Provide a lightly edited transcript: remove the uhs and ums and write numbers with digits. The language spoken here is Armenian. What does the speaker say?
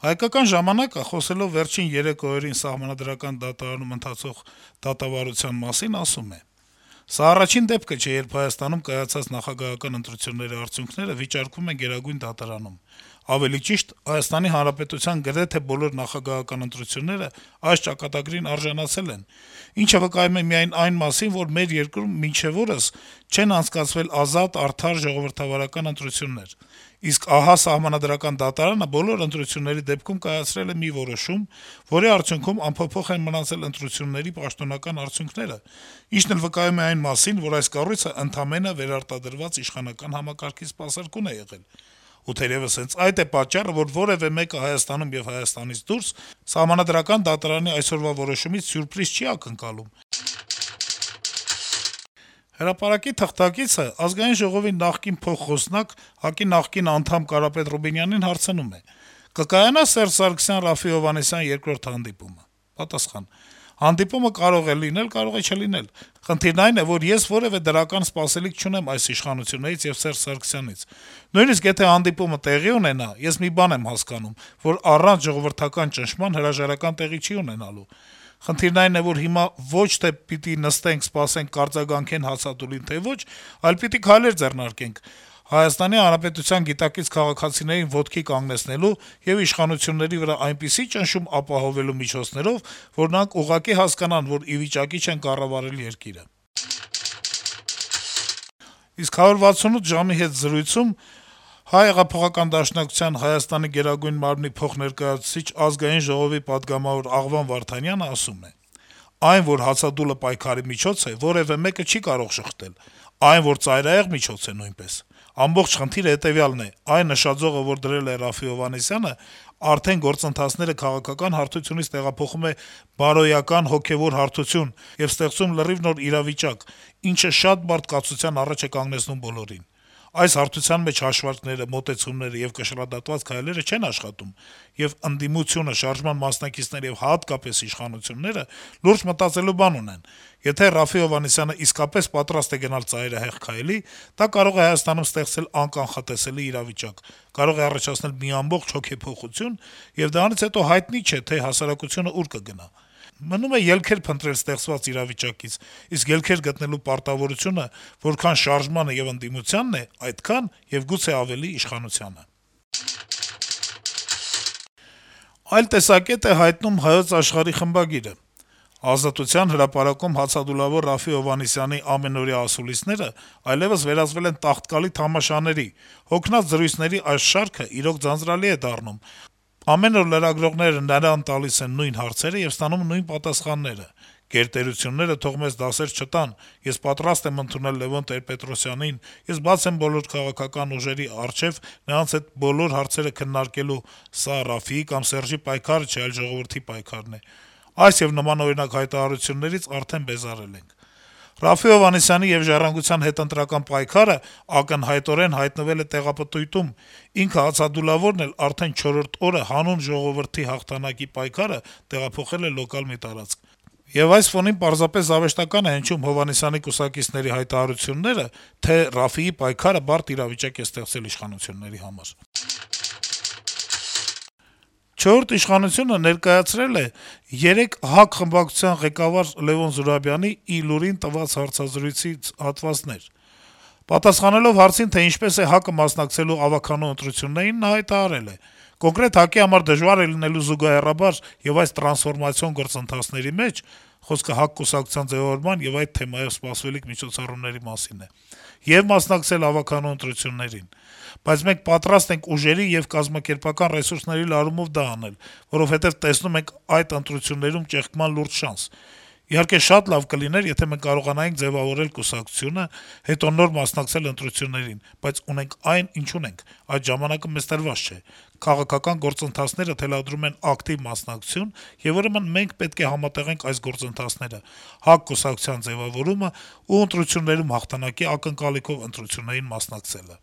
Հայկական ժամանակը խոսելով վերջին 3 օրերին Սահմանադրական դատարանում ընթացող դատավարության մասին ասում է. - «Սա առաջին դեպքը չէ, երբ Հայաստանում կայացած նախագահական ընտրությունների արդյունքները վիճարկվում են Գերագույն դատարանում: Ավելի ճիշտ, Հայաստանի Հանրապետության գրեթե բոլոր նախագահական ընտրությունները այս ճակատագրին արժանացել են, ինչը վկայում է միայն այն մասին, որ մեր երկրում մինչեւ օրս չեն անցկացվել ազատ, արդար, ժողովրդավարական ընտրություններ: Իսկ ահա Սահմանադրական դատարանը բոլոր ընտրությունների դեպքում կայացրել է մի որոշում, որի արդյունքում անփոփոխ են մնացել ընտրությունների պաշտոնական արդյունքները, ինչն էլ վկայում է այն մասին, որ այս կառույցը ընդամենը վերարտադրված իշխանական համակարգի սպասարկուն է եղել: Ու թերեւս հենց այդ է պատճառը, որ որեւէ մեկը Հայաստանում եւ Հայաստանից դուրս Սահմանադրական դատարանի այսօրվա որոշումից սյուրպրիզ չի ակնկալում»: «Հրապարակ»-ի թղթակիցը Ազգային ժողովի նախկին փոխխոսնակ, ՀԱԿ-ի նախկին անդամ Կարապետ Ռուբինյանին հարցնում է. - «Կկայանա Սերժ Սարգսյան - Րաֆֆի Հովհաննիսյան երկրորդ հանդիպումը»: Պատասխան. - «Հանդիպումը կարող է լինել, կարող է չլինել: Խնդիրն այն է, որ ես որեւէ դրական սպասելիք չունեմ այս իշխանություններից եւ Սերժ Սարգսյանից: Նույնիսկ եթե հանդիպումը տեղի ունենա, ես մի բան եմ հասկանում, որ առանց ժողովրդական ճնշման հրաժարական տեղի չի ունենալու: Խնդիրն այն է, որ հիմա ոչ թե պիտի նստենք, սպասենք կարձագանքեն հացադուլին, թե ոչ, այլ պիտի քայլեր ձեռնարկենք ՀՀ գիտակից քաղաքացիներին ոտքի կանգնեցնելու եւ իշխանությունների վրա այնպիսի ճնշում ապահովելու միջոցներով, որ նրանք ուղղակի հասկանան, որ ի վիճակի չեն կառավարել երկիրը»: Իսկ «168 ժամ»-ի հետ զրույցում ՀՀԿ Հայաստանի Գերագույն մարմնի փոխներկայացուցիչ, Ազգային ժողովի պատգամավոր Աղվան Վարդանյանը ասում է. - «Այն, որ հացադուլը պայքարի միջոց է, որեւէ մեկը չի կարող շղթել: Այն, որ ծայրահեղ միջոց է, նույնպես: Ամբողջ խնդիրը հետեւյալն է. այն նշաձողը, որ դրել է Րաֆֆի Հովհաննիսյանը, արդեն գործընթացները քաղաքական հարթությունից տեղափոխում է բարոյական, հոգեվոր հարթություն եւ ստեղծում լրիվ նոր իրավիճակ, ինչը շատ բարդ կացության առաջ է կանգնեցնում բոլորին: Այս հարթության մեջ հաշվարկները, մոտեցումները եւ կշռադատված քայլերը չեն աշխատում, եւ ընդդիմությունը, շարժման մասնակիցները եւ հատկապես իշխանությունները լուրջ մտածելու բան ունեն: Եթե Րաֆֆի Հովհաննիսյանը իսկապես պատրաստ է գնալ ծայրահեղ քայլի, դա կարող է Հայաստանում ստեղծել անկանխատեսելի իրավիճակ, կարող է առաջացնել մի ամբողջ հոգեփոխություն, եւ դրանից հետո հայտնի չէ, թե հասարակությունը ուր կգնա: Մնում է ելքեր փնտրել ստեղծված իրավիճակից, իսկ ելքեր գտնելու պարտավորությունը որքան շարժմանը եւ ընդդիմությանն է, այդքան եւ գուցե ավելի իշխանությանը»: Այլ տեսակետ է հայտնում «Հայոց Աշխարհ»-ի խմբագիրը. - «Ազատության հրապարակում հացադուլավոր Րաֆֆի Հովհաննիսյանի ամենօրյա ասուլիսները այլեւս վերածվել են տաղտկալի թամաշաների, հոգնած զրույցների այս շարքը իրոք ձանձրալի է դառնում: Ամեն օր լրագրողները նրան տալիս են նույն հարցերը եւ ստանում նույն պատասխանները: Գերտերությունները թող մեզ դասեր չտան: Ես պատրաստ եմ ընդունել Լեւոն Տեր-Պետրոսյանին, ես բաց եմ բոլոր քաղաքական ուժերի առջեւ նրանց հետ բոլոր հարցերը քննարկելու: Սա Րաֆֆիի կամ Սերժի պայքարը չէ, այլ ժողովրդի պայքարն է: Այս եւ նմանօրինակ հայտարարություններից արդեն բեզարել ենք: Րաֆֆի Հովհաննիսյանի եւ «Ժառանգության» հետընտրական պայքարը ակնհայտորեն հայտնվել է տեղապտույտում: Ինքը հացադուլավորն էլ արդեն չորրորդ օրը հանուն ժողովրդի հաղթանակի պայքարը տեղափոխել է լոկալ մի տարածք: Եվ այս ֆոնին պարզապես զավեշտական է հնչում Հովհաննիսյանի կուսակիցների հայտարարությունները, թե Րաֆֆիի պայքարը բարդ իրավիճակ է ստեղծել իշխանությունների համար»: «Չորրորդ ինքնիշխանություն»-ը ներկայացրել է 3 ՀԱԿ խմբակցության ղեկավար Լեւոն Զուրաբյանի ի լուրին տված հարցազրույցից հատվածներ: Պատասխանելով հարցին, թե ինչպես է ՀԱԿ-ը մասնակցելու ավագանու ընտրություններին, նա հայտարարել է. - «Կոնկրետ ՀԱԿ-ի համար դժվար է լինելու զուգահեռաբար եւ այս տրանսֆորմացիոն գործընթացների մեջ (խոսքը ՀԱԿ կուսակցության ձեւավորման եւ այդ թեմայով սպասվելիք միջոցառումների մասին է) եւ մասնակցել ավագանու ընտրություններին: Բայց մենք պատրաստ ենք ուժերի եւ կազմակերպական ռեսուրսների լարումով դա անել, որովհետեւ տեսնում ենք այդ ընտրություններում ճեղքման լուրջ շանս: Իհարկե, շատ լավ կլիներ, եթե մենք կարողանայինք ձեւավորել կուսակցությունը, հետո նոր մասնակցել ընտրություններին, բայց ունենք այն, ինչ ունենք: Այդ ժամանակը մեզ տրված չէ: Քաղաքական գործընթացները թելադրում են ակտիվ մասնակցություն, եւ ուրեմն մենք պետք է համատեղենք այս գործընթացները` ՀԱԿ կուսակցության ձեւավորումը ու ընտրություններում հաղթանակի ակնկալիքով ընտրություններին մասնակցելը»: